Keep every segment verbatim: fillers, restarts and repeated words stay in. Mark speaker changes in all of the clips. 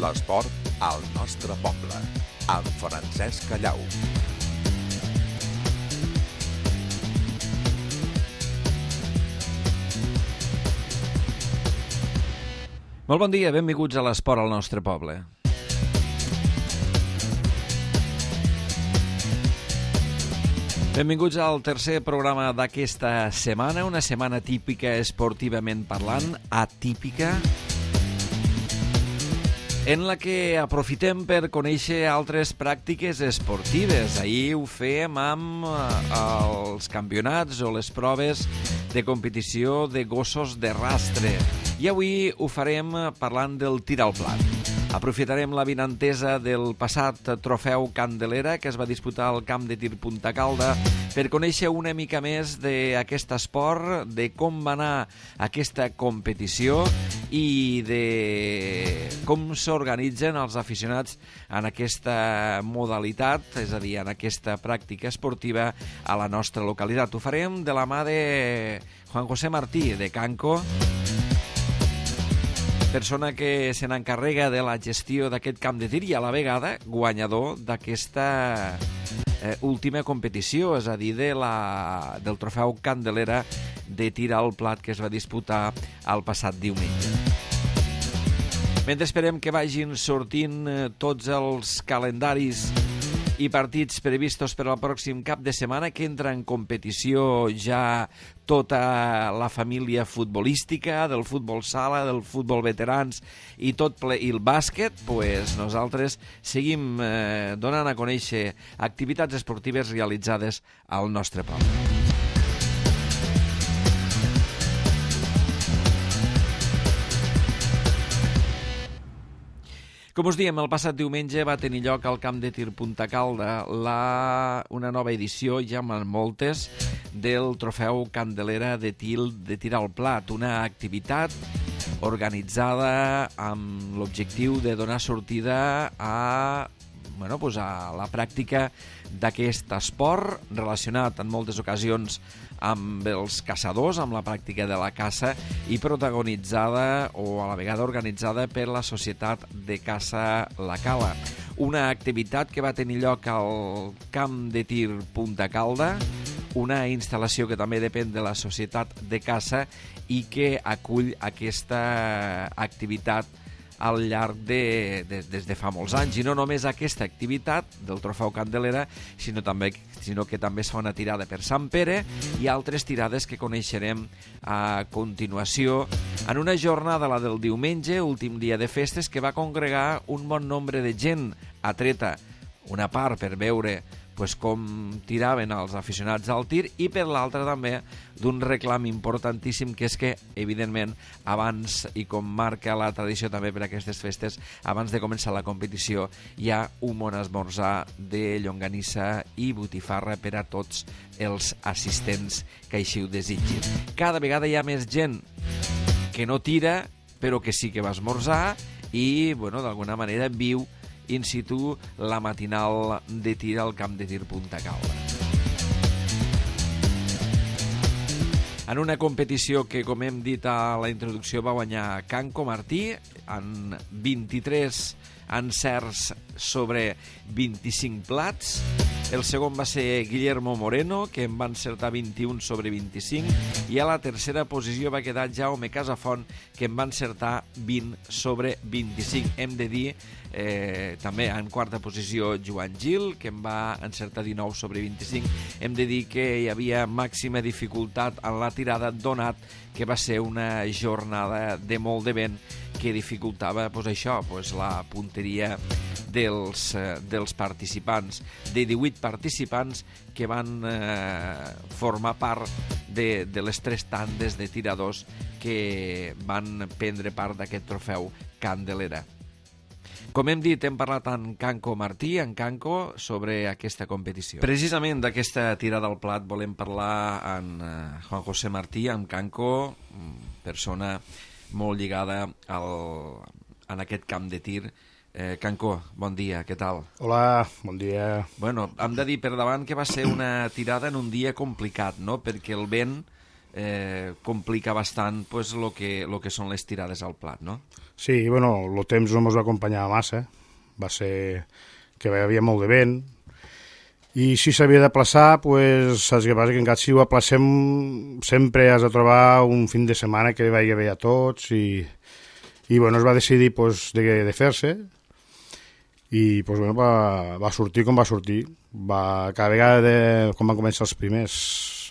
Speaker 1: L'esport al nostre poble, amb Francesc Callau.
Speaker 2: Molt bon dia, benvinguts a l'esport al nostre poble. Benvinguts al tercer programa d'aquesta setmana, una setmana típica esportivament parlant, atípica, en la que aprofitem per conèixer altres pràctiques esportives. Ahir ho fèiem amb els campionats o les proves de competició de gossos de rastre. I avui ho farem parlant del tir al plat. Aprofitarem la vinentesa del passat trofeu Candelera que es va disputar al camp de tir Punta Calda per conèixer una mica més d'aquest esport, de com va anar aquesta competició i de com s'organitzen els aficionats en aquesta modalitat, és a dir, en aquesta pràctica esportiva a la nostra localitat. Ho farem de la mà de Juan José Martí, de Canco, persona que se n'encarrega de la gestió d'aquest camp de tir i a la vegada guanyador d'aquesta eh, última competició, és a dir, de la, del trofeu Candelera de tir al plat que es va disputar el passat diumenge. Mentre esperem que vagin sortint eh, tots els calendaris i partits previstos per al pròxim cap de setmana, que entra en competició ja tota la família futbolística, del futbol sala, del futbol veterans i tot ple, i el bàsquet, pues nosaltres seguim eh, donant a conèixer activitats esportives realitzades al nostre poble. Com us diem, el passat diumenge va tenir lloc al camp de tir Punta Calda la, una nova edició, ja amb moltes, del trofeu Candelera de tir, de tir al plat, una activitat organitzada amb l'objectiu de donar sortida a, bueno, pues a la pràctica d'aquest esport relacionat en moltes ocasions amb els caçadors, amb la pràctica de la caça i protagonitzada o a la vegada organitzada per la Societat de Caça La Cala. Una activitat que va tenir lloc al camp de tir Punta Calda, una instal·lació que també depèn de la Societat de Caça i que acull aquesta activitat al llarg de, de, des de fa molts anys. I no només aquesta activitat del trofeu Candelera, sinó, també, sinó que també es fa una tirada per Sant Pere i altres tirades que coneixerem a continuació en una jornada, la del diumenge, últim dia de festes, que va congregar un bon nombre de gent atreta, una part per veure pues, com tiraven els aficionats al tir i per l'altra també d'un reclam importantíssim, que és que, evidentment, abans, i com marca la tradició també per aquestes festes, abans de començar la competició hi ha un bon esmorzar de llonganissa i botifarra per a tots els assistents que així ho desitgin. Cada vegada hi ha més gent que no tira, però que sí que va esmorzar i, bueno, d'alguna manera viu in situ la matinal de tir al camp de tir Punta Calda. En una competició que, com hem dit a la introducció, va guanyar Canco Martí en vint-i-tres encerts sobre vint-i-cinc plats. El segon va ser Guillermo Moreno, que en va encertar vint-i-un sobre vint-i-cinc, i a la tercera posició va quedar Jaume Casafont, que en va encertar vint sobre vint-i-cinc. Hem de dir eh, també en quarta posició Joan Gil, que en va encertar dinou sobre vint-i-cinc. Hem de dir que hi havia màxima dificultat en la tirada, donat que va ser una jornada de molt de vent que dificultava pues, això, pues, la punteria dels, eh, dels participants, de divuit participants que van eh, formar part de, de les tres tandes de tiradors que van prendre part d'aquest trofeu Candelera. Com hem dit, hem parlat amb Canco Martí, en Canco, sobre aquesta competició. Precisament d'aquesta tirada al plat volem parlar amb Juan José Martí, amb Canco, persona molt lligada al, en aquest camp de tir. Eh, Canco, bon dia, què tal?
Speaker 3: Hola, bon dia.
Speaker 2: Bueno, hem de dir per davant que va ser una tirada en un dia complicat, no? Perquè el vent eh, complica bastant pues, lo, que, lo que són les tirades al plat, no?
Speaker 3: Sí, bueno, el temps no ens va acompanyar massa, va ser que hi havia molt de vent, i si s'havia de plaçar, pues, saps què passa? Que encara si ho aplacem sempre has de trobar un fin de setmana que vagi bé a tots, i, i bueno, es va decidir pues, de, de fer-se, i pues, bueno, va, va sortir com va sortir. Va, cada vegada, de, quan van començar els primers,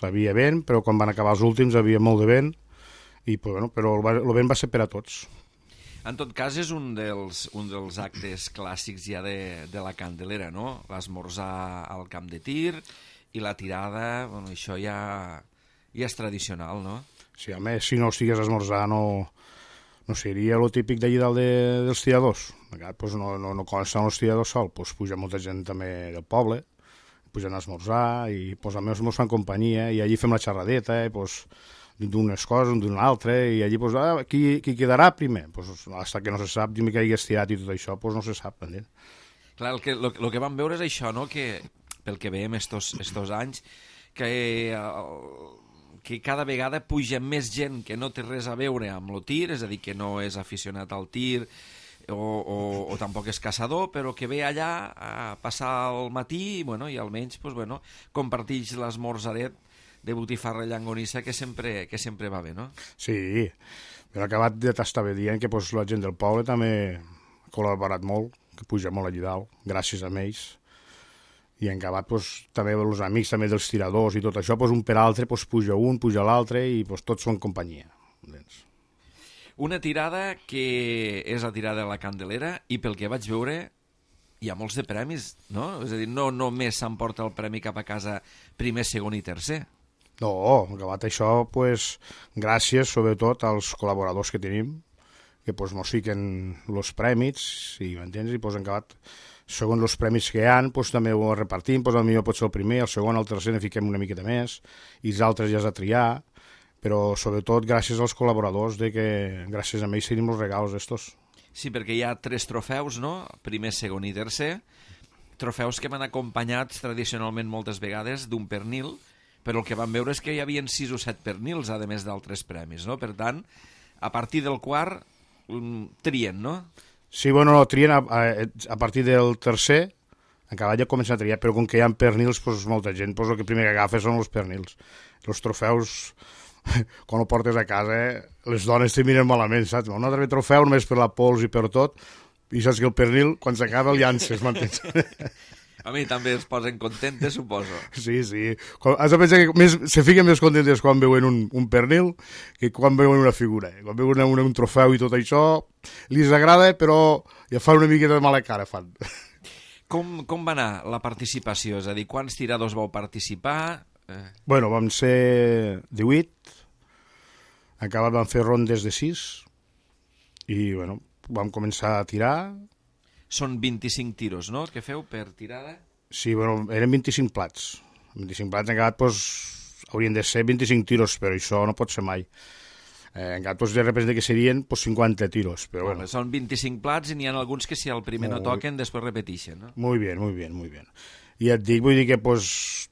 Speaker 3: havia vent, però quan van acabar els últims havia molt de vent, i, pues, bueno, però el, el vent va ser per a tots.
Speaker 2: En tot cas, és un dels, un dels actes clàssics ja de, de la Candelera, no? L'esmorzar al camp de tir i la tirada, bueno, això ja, ja és tradicional, no?
Speaker 3: Sí, a més, si no estigués a esmorzar, no, no seria lo típic d'allí dalt de, dels tiradors. Pues no, no, no consten els tiradors sol, pues puja molta gent també del poble, pugen a esmorzar, i pues, a més mos fan companyia, i allí fem la xerradeta, i pues, d'unes coses, d'una altra, i allí, pues, ah, qui, qui quedarà primer? Pues, hasta que no se sap, jo que hagués tirat i tot això, pues, no se sap, entens?
Speaker 2: Clar, el que, lo, lo que vam veure és això, no?, que, pel que veiem estos, estos anys, que, eh, que cada vegada puja més gent que no té res a veure amb el tir, és a dir, que no és aficionat al tir, o, o, o tampoc és caçador, però que ve allà a passar el matí i, bueno, i almenys pues, bueno, comparteix l'esmorzaret de botifarra i llangonissa que sempre, que sempre va bé, no?
Speaker 3: Sí, però acabat de t'estar dient que pues, la gent del poble també ha col·laborat molt, que puja molt allà dalt, gràcies a ells, i en acabat pues, també els amics també dels tiradors i tot això, pues, un per altre pues, puja un, puja l'altre i pues, tots són companyia. Entens?
Speaker 2: Una tirada que és la tirada de la Candelera i pel que vaig veure hi ha molts de premis, no? És a dir, no només s'emporta el premi cap a casa primer, segon i tercer.
Speaker 3: No, acabat això, pues, gràcies sobretot als col·laboradors que tenim, que pues, mos fiquen els premis, i m'entens? I pues, acabat, segons els premis que hi ha, pues, també ho repartim, pues, potser pot ser el primer, el segon, el tercer, ne fiquem una miqueta més, i els altres ja has de triar, però sobretot gràcies als col·laboradors, de que gràcies a ells tenim els regals estos.
Speaker 2: Sí, perquè hi ha tres trofeus, no? Primer, segon i tercer. Trofeus que m'han acompanyat tradicionalment moltes vegades d'un pernil, però el que vam veure és que hi havia sis o set pernils, a més d'altres premis, no? Per tant, a partir del quart, trien, no?
Speaker 3: Sí, bueno, no, trien a, a, a partir del tercer, encara ja comencen a triar, però com que hi ha pernils, pues, molta gent, pues, el que primer que agafa són els pernils. Els trofeus, quan ho portes a casa, les dones te miren malament, saps? Un altre trofeu només per la pols i per tot, i saps que el pernil, quan s'acaba, el llances, m'entens?
Speaker 2: A mi també es posen contentes, suposo.
Speaker 3: Sí, sí. Has de pensar que més, se fiquen més contentes quan veuen un, un pernil que quan veuen una figura. Quan veuen un, un trofeu i tot això, li agrada, però ja fan una miqueta de mala cara, fan.
Speaker 2: Com, com va anar la participació? És a dir, quants tiradors vau participar? Eh...
Speaker 3: Bueno, vam ser divuit, acabat vam fer rondes de sis, i bueno, vam començar a tirar.
Speaker 2: Són vint-i-cinc tiros, no?, que feu per tirada?
Speaker 3: Sí, bueno, eren vint-i-cinc plats. vint-i-cinc plats, en acabat, doncs, haurien de ser vint-i-cinc tiros, però això no pot ser mai. Eh, en acabat, doncs, representa que serien pues, cinquanta tiros, però bueno.
Speaker 2: Són vint-i-cinc plats i n'hi ha alguns que si el primer no toquen, després repeteixen, no?
Speaker 3: Muy bien, muy bien, muy bien. I et dic, vull dir que, doncs,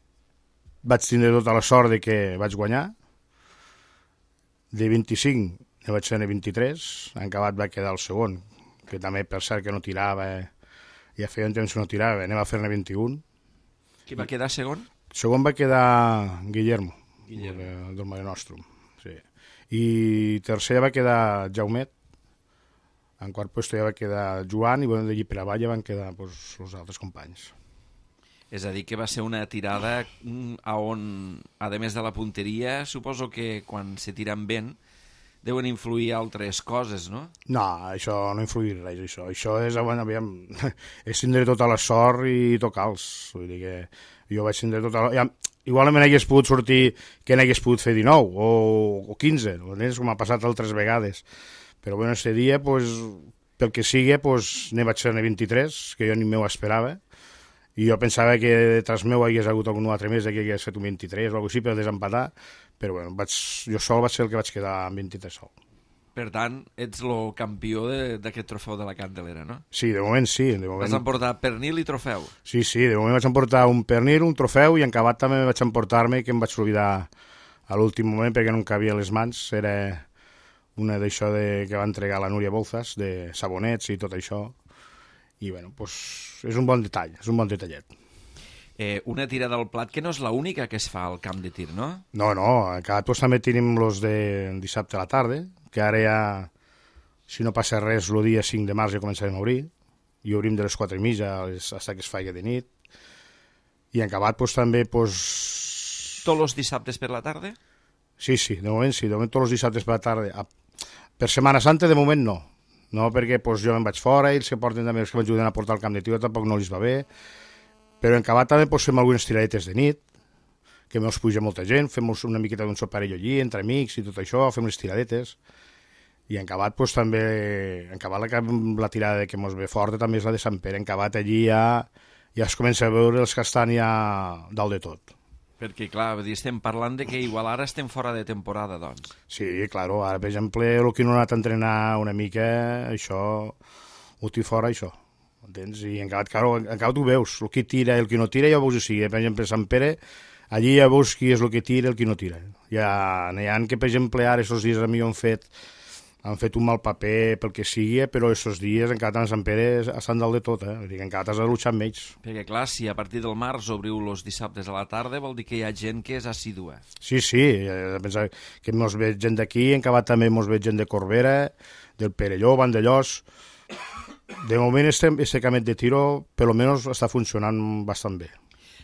Speaker 3: vaig tindre tota la sort de que vaig guanyar. De vint-i-cinc ne vaig ser vint-i-tres, en acabat va quedar el segon, que també per cert que no tirava, ja feia un temps que no tirava, anem a fer-ne vint-i-un.
Speaker 2: Qui va quedar segon?
Speaker 3: Segon va quedar Guillermo,
Speaker 2: Guillermo.
Speaker 3: del, del Mare Nostrum. Sí. I tercer va quedar Jaumet, en quart lloc ja va quedar Joan, i bueno, d'allí per avall ja van quedar pues, els altres companys.
Speaker 2: És a dir, que va ser una tirada on, a més de la punteria, suposo que quan se tiren ben, deuen influir altres coses, no?
Speaker 3: No, això no influir res, això. Això és, bueno, aviam, és tindre tota la sort i tocar-los. Vull dir que jo vaig tindre tota la... Ja, igualment hagués pogut sortir que n'hagués pogut fer dinou o, o quinze, com ha passat altres vegades. Però, bueno, aquest dia, pues, pel que sigui, pues, ne vaig ser vint-i-tres, que jo ni m'ho esperava. I jo pensava que detrás meu hagués hagut algun altre més, que hagués fet un vint-i-tres o alguna cosa així per desempatar, però bueno, vaig, jo sol vaig ser el que vaig quedar amb vint-i-tres sol.
Speaker 2: Per tant, ets el campió d'aquest trofeu de la Candelera, no?
Speaker 3: Sí, de moment sí. De moment...
Speaker 2: Vas emportar pernil i trofeu.
Speaker 3: Sí, sí, de moment vaig emportar un pernil, un trofeu, i en acabat també vaig emportar-me, que em vaig oblidar a l'últim moment perquè no em cabia les mans, era una d'això de, que va entregar la Núria Bolzas, de sabonets i tot això, i bueno, pues, és un bon detall, és un bon detallet.
Speaker 2: Eh, una tirada al plat que no és l'única que es fa al camp de tir, no?
Speaker 3: No, no, encara pues, també tenim los de dissabte a la tarda, que ara ja, si no passa res, el dia cinc de març ja començarem a obrir, i obrim de les quatre i mitja fins que es faci de nit, i en acabat pues, també... Pues...
Speaker 2: Tots els dissabtes per la tarda?
Speaker 3: Sí, sí, de moment sí, de moment tots els dissabtes per la tarda. Per Setmana Santa de moment no, no perquè pues, jo me'n vaig fora i els que porten també, els que m'ajuden a portar el camp de tiro tampoc no els va bé, però en acabat també pues, fem algunes tiradetes de nit, que me'ls puja molta gent, fem una miqueta d'un soparello allí, entre amics i tot això, fem les tiradetes, i en acabat pues, també, en acabat la, la tirada que mos ve forta també és la de Sant Pere, en acabat allí ja, ja es comença a veure els que estan ja dalt de tot.
Speaker 2: Perquè, clar, estem parlant de que igual ara estem fora de temporada, doncs.
Speaker 3: Sí, clar, ara, per exemple, el que no ha anat a entrenar una mica, això, ho té fora, això, entens? I en acabat, clar, en acabat ho veus, el que tira i el que no tira, ja ho veus així. Per exemple, Sant Pere, allí ja veus qui és el que tira i el que no tira. Ja n'hi ha que, per exemple, ara, aquests dies a mi han fet, han fet un mal paper pel que sigui, però aquests dies encara a Sant Pere estan dalt de tot, eh? Vull dir que encara has de luchar amb ells.
Speaker 2: Perquè, clar, si a partir del març obriu els dissabtes a la tarda, vol dir que hi ha gent que és assídua.
Speaker 3: Sí, sí, he de pensar que mos ve gent d'aquí, en acabat també mos ve gent de Corbera, del Perelló, Vandellós. De moment, este, este camet de tiro, per lo menos, està funcionant bastant bé.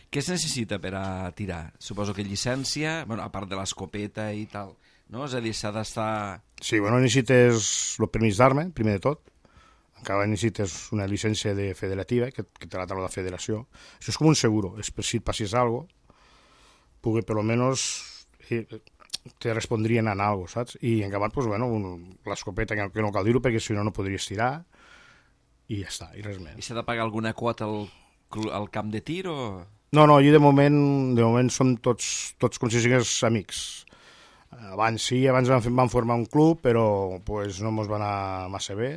Speaker 2: Què es necessita per a tirar? Suposo que llicència, bueno, a part de l'escopeta i tal, no? És a dir, s'ha d'estar...
Speaker 3: Sí, bueno, necessites el permís d'arma, primer de tot. Encara necessites una llicència de federativa, que, que te la trau la federació. Això és com un seguro, és per si et passis algo, pugui, per lo menos, eh, te respondrien en algo, saps? I en acabat, pues, bueno, l'escopeta, que no cal dir-ho, perquè si no, no podries tirar, i ja està, i res més.
Speaker 2: I s'ha de pagar alguna quota al, al camp de tir, o...?
Speaker 3: No, no, allà de moment, de moment som tots, tots com si sigués amics. Abans sí, abans vam, vam formar un club, però pues, no ens va anar massa bé.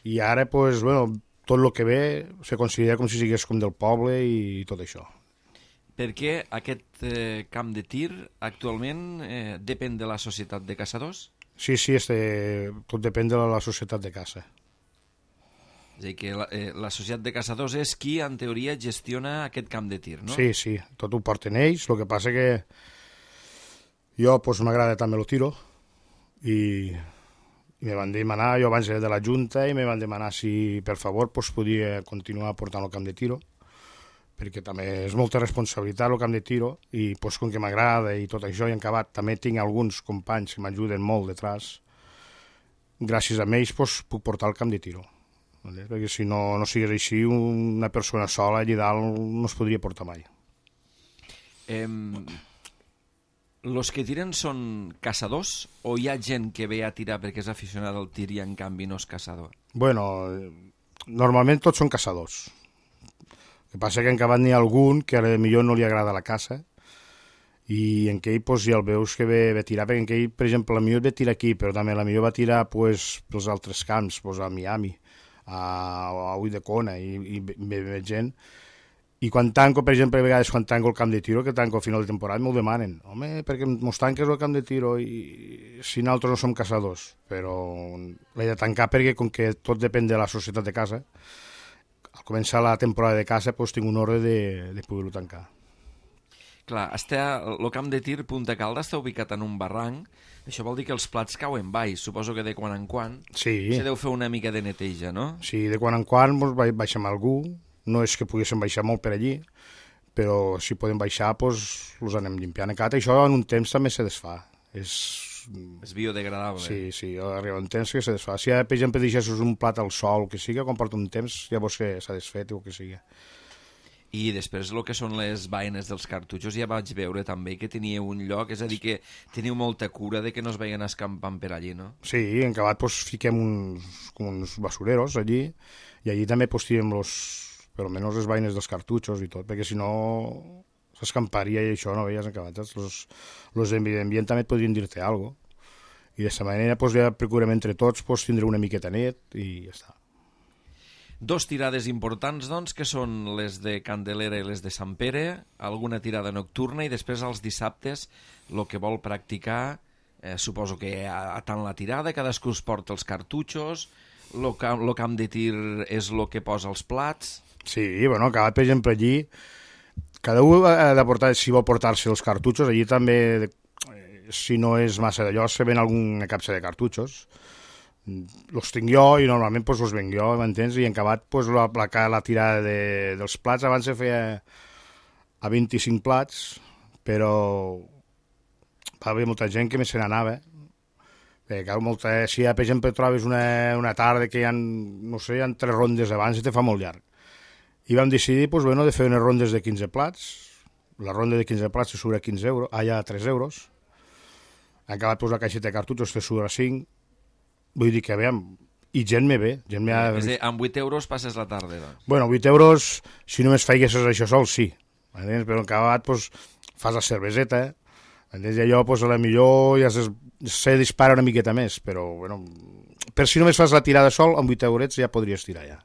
Speaker 3: I ara, pues, bueno, tot el que ve se considera com si sigués com del poble i tot això.
Speaker 2: Perquè aquest eh, camp de tir actualment eh, depèn de la societat de caçadors?
Speaker 3: Sí, sí, este, tot depèn de la, la societat de caça.
Speaker 2: És a dir, que la, eh, la societat de caçadors és qui, en teoria, gestiona aquest camp de tir, no?
Speaker 3: Sí, sí, tot ho porten ells, el que passa que jo pues, m'agrada també el tiro i, i me van demanar, jo abans era de la Junta, i me van demanar si per favor pues, podia continuar portant el camp de tiro, perquè també és molta responsabilitat el camp de tiro, i pues, com que m'agrada i tot això, i en acabat també tinc alguns companys que m'ajuden molt detrás, gràcies a ells pues, puc portar el camp de tiro. Perquè si no, no sigués així, una persona sola allà dalt no es podria portar mai.
Speaker 2: Eh, los que tiren són caçadors o hi ha gent que ve a tirar perquè és aficionada al tir i en canvi no és caçador?
Speaker 3: Bueno, normalment tots són caçadors. El que passa que en acabat n'hi ha algun que a millor no li agrada la caça i en què ell pues, ja el veus que ve, ve tirar, perquè en què ell, per exemple, la millor ve tirar aquí, però també la millor va tirar pues, pels altres camps, pues, a Miami, a, a Ulldecona i, i ve, ve gent. I quan tanco, per exemple, a vegades quan tanco el camp de tiro, que tanco al final de temporada, m'ho demanen. Home, perquè mos tanques el camp de tiro i si nosaltres no som caçadors. Però l'he de tancar perquè, com que tot depèn de la societat de caça, al començar la temporada de caça pues, tinc un ordre de, de poder-ho tancar.
Speaker 2: Clar, està, el camp de tir Punta Calda està ubicat en un barranc, això vol dir que els plats cauen baix, suposo que de quan en quan
Speaker 3: sí.
Speaker 2: se deu fer una mica de neteja, no?
Speaker 3: Sí, de quan en quan doncs, baixem algú, no és que poguéssim baixar molt per allí, però si podem baixar, doncs, els anem limpiant. Encara això en un temps també se desfà. És,
Speaker 2: és biodegradable.
Speaker 3: Sí, sí, arriba un temps que se desfà. Si, per exemple, deixessis un plat al sol, que sigui, quan porta un temps, ja veus que s'ha desfet o que sigui.
Speaker 2: I després el que són les vaines dels cartutxos ja vaig veure també que tenia un lloc, és a dir, que teniu molta cura de que no es vagin escampant per allí, no?
Speaker 3: Sí, en acabat pues, fiquem uns, com uns basureros allí, i allí també pues, tirem los, per almenys les vaines dels cartutxos i tot, perquè si no s'escamparia i això no veies en acabat. Los, los d'ambient també et podrien dir-te alguna cosa. I d'aquesta manera pues, ja procurem entre tots pues, tindre una miqueta net i ja està.
Speaker 2: Dos tirades importants, doncs, que són les de Candelera i les de Sant Pere, alguna tirada nocturna, i després els dissabtes el que vol practicar, eh, suposo que a, a tant la tirada, cadascú es porta els cartutxos, el camp, lo camp de tir és el que posa els plats...
Speaker 3: Sí, bueno, cada per exemple allí, cada un ha de portar, si vol portar-se els cartutxos, allí també, si no és massa d'allò, se ven alguna capsa de cartutxos, los tinc jo i normalment pues, els venc jo, m'entens? I en acabat pues, la, la, la tirada de, dels plats abans se feia a vint-i-cinc plats, però va haver molta gent que més se n'anava. Eh, molta, si per exemple trobes una, una tarda que hi ha, no sé, hi ha tres rondes abans, te fa molt llarg. I vam decidir pues, bueno, de fer unes rondes de quinze plats. La ronda de quinze plats te surt a quinze euros, allà a tres euros. En acabat pues, la caixeta de cartutxos te surt a cinc. Vull dir que, aviam, i gent me ve. Gent me ha...
Speaker 2: És a dir, amb vuit euros passes la tarda, doncs.
Speaker 3: Bueno, vuit euros, si només feiguessis això sol, sí. Entens? Però en acabat, pues, fas la cerveseta, entens? I allò, pues, a la millor ja se, se dispara una miqueta més, però, bueno, per si només fas la tirada sol, amb vuit eurets ja podries tirar, ja.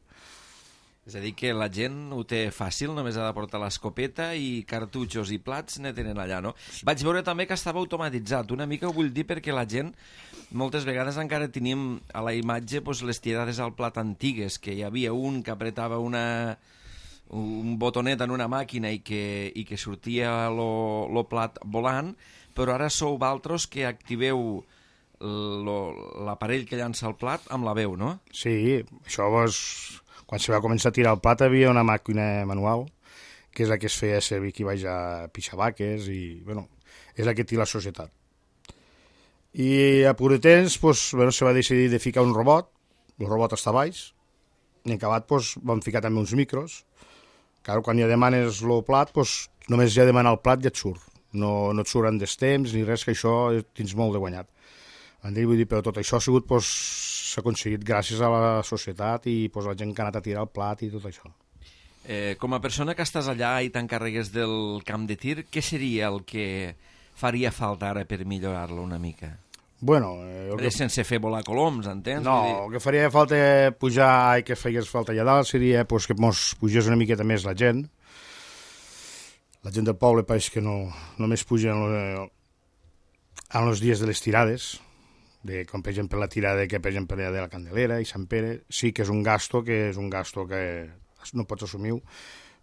Speaker 2: És a dir, que la gent ho té fàcil, només ha de portar l'escopeta i cartutxos i plats ne tenen allà, no? Vaig veure també que estava automatitzat. Una mica ho vull dir perquè la gent, moltes vegades encara tenim a la imatge pues, les tirades al plat antigues, que hi havia un que apretava una, un botonet en una màquina i que, i que sortia el plat volant, però ara sou valtros que activeu l'aparell que llança el plat amb la veu, no?
Speaker 3: Sí, això vos... Quan se va començar a tirar el plat hi havia una màquina manual, que és la que es feia servir aquí baix a pixar vaques, i, bueno, és la que té la societat. I a pur de temps, pues, bueno, se va decidir de ficar un robot, el robot està baix, i en acabat pues, vam ficar també uns micros. Clar, quan ja demanes el plat, pues, només ja demanar el plat ja et surt. No, no et surten des temps ni res, que això tens molt de guanyat. Vull dir, però tot això ha sigut, pues, s'ha aconseguit gràcies a la societat i pues, la gent que ha anat a tirar el plat i tot això.
Speaker 2: Eh, com a persona que estàs allà i t'encarregues del camp de tir, què seria el que faria falta ara per millorar-lo una mica?
Speaker 3: Bueno... Eh,
Speaker 2: que... Sense fer volar coloms, entens?
Speaker 3: No, dir... el que faria falta pujar i que fegués falta allà dalt seria pues, que mos pugés una miqueta més la gent. La gent del poble pareix que no, només puja en els dies de les tirades, de, com per exemple la tirada que per exemple de la Candelera i Sant Pere, sí que és un gasto que és un gasto que no pots assumir,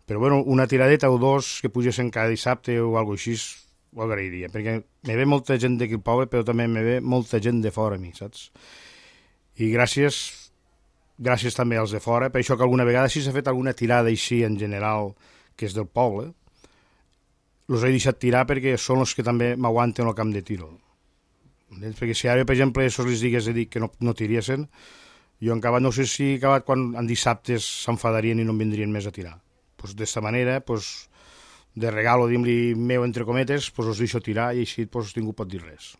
Speaker 3: però bueno, una tiradeta o dos que pugessin cada dissabte o alguna cosa així ho agrairia, perquè me ve molta gent d'aquí al poble, però també me ve molta gent de fora a mi, saps? I gràcies gràcies també als de fora, per això que alguna vegada si s'ha fet alguna tirada així en general que és del poble, els he deixat tirar perquè són els que també m'aguanten el camp de tiro. Perquè si ara, per exemple, això els digués de dir que no, no tiriessin, jo en acabat no sé si acabat quan en dissabtes s'enfadarien i no em vindrien més a tirar. Pues d'esta manera, pues, de regalo, diguem-li, meu, entre cometes, pues els deixo tirar i així pues, ningú pot dir res.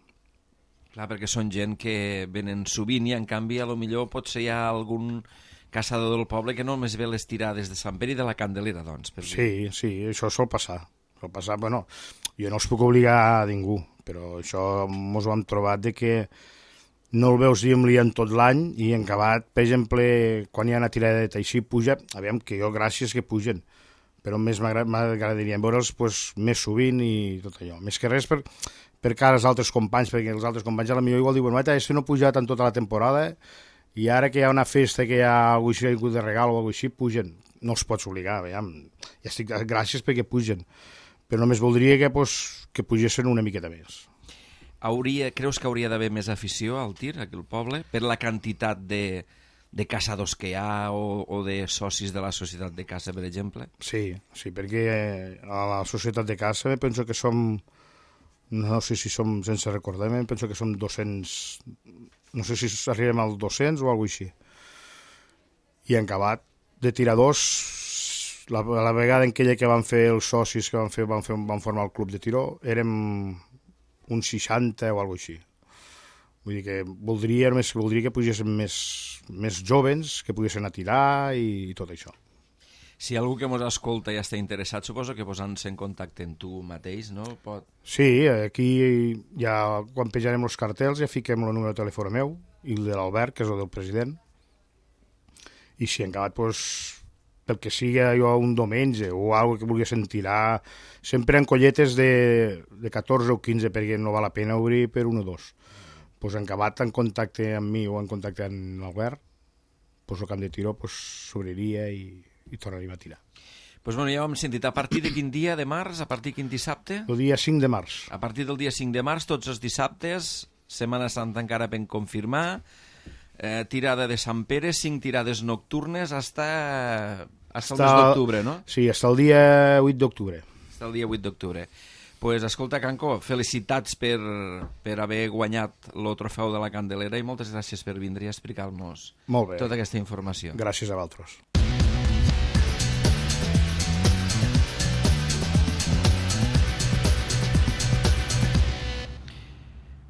Speaker 2: Clar, perquè són gent que venen sovint i en canvi a lo millor potser hi ha algun caçador del poble que només ve les tirades de Sant Pere i de la Candelera, doncs. Per
Speaker 3: sí, dir. sí, això sol passar. Sol passar, bueno, jo no els puc obligar a ningú, però això ens ho hem trobat de que no el veus, diguem-li, en tot l'any i en acabat, per exemple, quan hi ha una tiradeta així, puja, aviam, que jo gràcies que pugen, però més m'agradaria veure'ls pues, més sovint i tot allò. Més que res per, per cara als altres companys, perquè els altres companys a la millor igual diuen, bueno, este no ha pujat en tota la temporada i ara que hi ha una festa, que hi ha alguna cosa així, de regal o alguna cosa així, pugen. No els pots obligar, aviam. Ja estic, gràcies perquè pugen. Però només voldria que, pues, que pugessin una miqueta més.
Speaker 2: Hauria, creus que hauria d'haver més afició al tir aquí al poble per la quantitat de, de caçadors que hi ha o, o de socis de la societat de caça, per exemple?
Speaker 3: Sí, sí, perquè a la societat de caça penso que som, no sé si som, sense recordar-me, penso que som dos-cents, no sé si arribem als dos-cents o alguna cosa així. I en acabat de tiradors, la, la vegada en aquella que van fer els socis que van, fer, van, fer, van formar el club de tiró, érem uns seixanta o alguna cosa així. Vull dir que voldria, més, voldria que pugessin més, més jovens, que poguessin a tirar i, i tot això.
Speaker 2: Si algú que ens escolta i està interessat, suposo que posant-se en contacte amb tu mateix, no? Pot...
Speaker 3: Sí, aquí ja, quan penjarem els cartells ja fiquem el número de telèfon meu i el de l'Albert, que és el del president, i si han acabat, pues, pel que siga jo un diumenge o alguna que vulguessin tirar, sempre en colletes de, de catorze o quinze, perquè no val la pena obrir per un o dos. Pues han acabat en contacte amb mi o en contacte amb l'Albert, pues el camp de tiro s'obriria pues, i, i tornaríem a tirar.
Speaker 2: Pues bueno, ja ho hem sentit. A partir de quin dia de març? A partir de quin dissabte?
Speaker 3: El dia cinc de març.
Speaker 2: A partir del dia cinc de març, tots els dissabtes, Setmana Santa encara ben confirmar, eh, tirada de Sant Pere, cinc tirades nocturnes, hasta, hasta el mes d'octubre, no?
Speaker 3: Sí, hasta el dia vuit d'octubre.
Speaker 2: Hasta el dia vuit d'octubre. Pues escolta, Canco, felicitats per, per haver guanyat el trofeu de la Candelera i moltes gràcies per vindre i explicar-nos tota aquesta informació.
Speaker 3: Gràcies a vosaltres.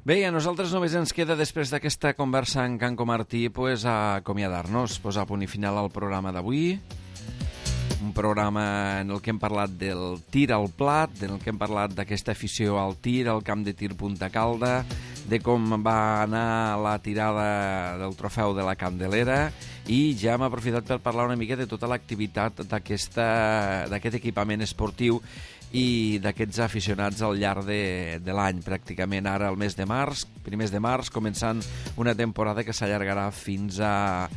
Speaker 2: Bé, a nosaltres només ens queda, després d'aquesta conversa amb Canco Martí, pues, a acomiadar-nos, posar punt i final al programa d'avui. Un programa en el que hem parlat del tir al plat, en el que hem parlat d'aquesta afició al tir, al camp de tir Punta Calda, de com va anar la tirada del trofeu de la Candelera, i ja hem aprofitat per parlar una mica de tota l'activitat d'aquest equipament esportiu i d'aquests aficionats al llarg de, de l'any, pràcticament ara al mes de març, primers de març, començant una temporada que s'allargarà fins a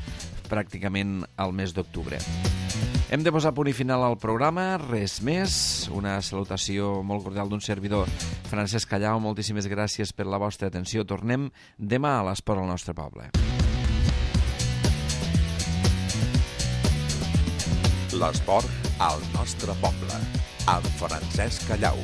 Speaker 2: pràcticament al mes d'octubre. Hem de posar punt i final al programa, res més, una salutació molt cordial d'un servidor, Francesc Callau, moltíssimes gràcies per la vostra atenció. Tornem demà a l'Esport al nostre poble.
Speaker 1: L'esport al nostre poble, amb Francesc Callau.